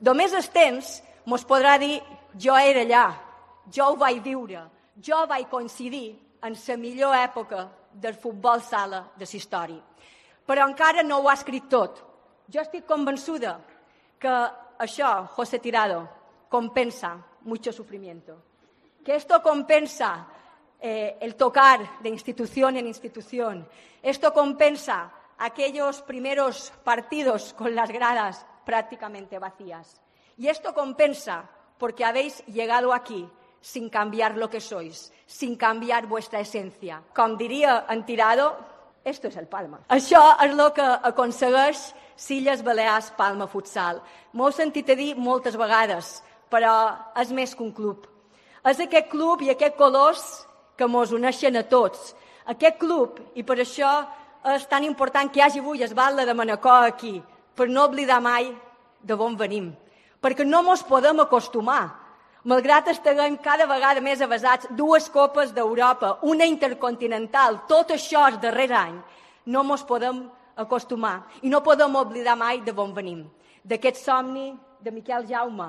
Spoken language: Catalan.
Només el temps mos podrà dir jo era allà, jo ho vaig viure, jo vaig coincidir en la millor època del futbol sala de la història. Però encara no ho ha escrit tot. Jo estic convençuda que això, José Tirado, compensa mucho sufrimiento. Que esto compensa el tocar de institución en institución. Esto compensa aquellos primeros partidos con las gradas prácticamente vacías. Y esto compensa porque habéis llegado aquí sin cambiar lo que sois, sin cambiar vuestra esencia. Com diria en Tirado, esto es el Palma. Això és el que aconsegueix Illes Balears Palma Futsal. M'ho he sentit a dir moltes vegades, però és més que un club. És aquest club i aquests colors que mos uneixen a tots. Aquest club, i per això és tan important que hi hagi avui el Batlle de Manacor aquí, per no oblidar mai d'on venim. Perquè no mos podem acostumar. Malgrat estiguem cada vegada més avasats, 2 copes d'Europa, una intercontinental, tot això el darrer any, no mos podem acostumar i no podem oblidar mai d'on venim. D'aquest somni de Miquel Jaume,